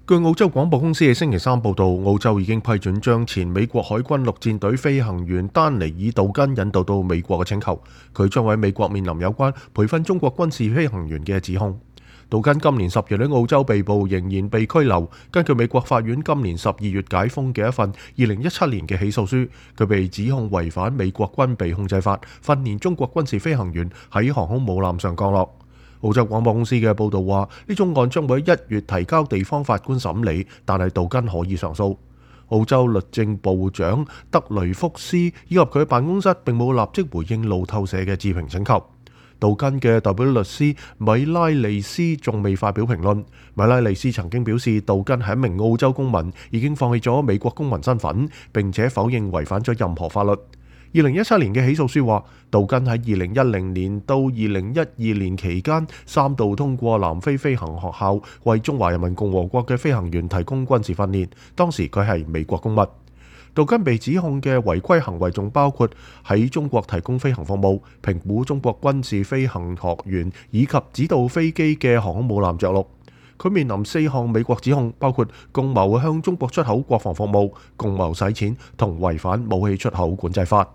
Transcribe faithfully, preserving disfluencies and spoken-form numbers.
據澳洲廣播公司喺星期三報道，澳洲已經批准將前美國海軍陸戰隊飛行員丹尼爾杜根引渡到美國嘅請求。佢將喺美國面臨有關培訓中國軍事飛行員嘅指控。杜根今年十月喺澳洲被捕，仍然被拘留。根據美國法院今年十二月解封嘅一份二零一七年嘅起訴書，佢被指控違反美國軍備控制法，訓練中國軍事飛行員喺航空母艦上降落。澳洲廣播公司嘅報導話，呢宗案將會喺一月提交地方法官審理，但係杜根可以上訴。澳洲律政部長德雷福斯以及佢嘅辦公室並冇立即回應路透社嘅置評請求。杜根嘅代表律師米拉利斯仲未發表評論。米拉利斯曾經表示，杜根係一名澳洲公民，已經放棄咗美國公民身份，並且否認違反咗任何法律。二零一七年嘅起訴書話，杜根喺二零一零年到二零一二年期間三度通過南非飛行學校為中華人民共和國嘅飛行員提供軍事訓練，當時佢係美國公民。杜根被指控嘅違規行為仲包括喺中國提供飛行服務、評估中國軍事飛行學員以及指導飛機嘅航空母艦着陸。佢面臨四項美國指控，包括共謀向中國出口國防服務、共謀洗錢同違反武器出口管制法。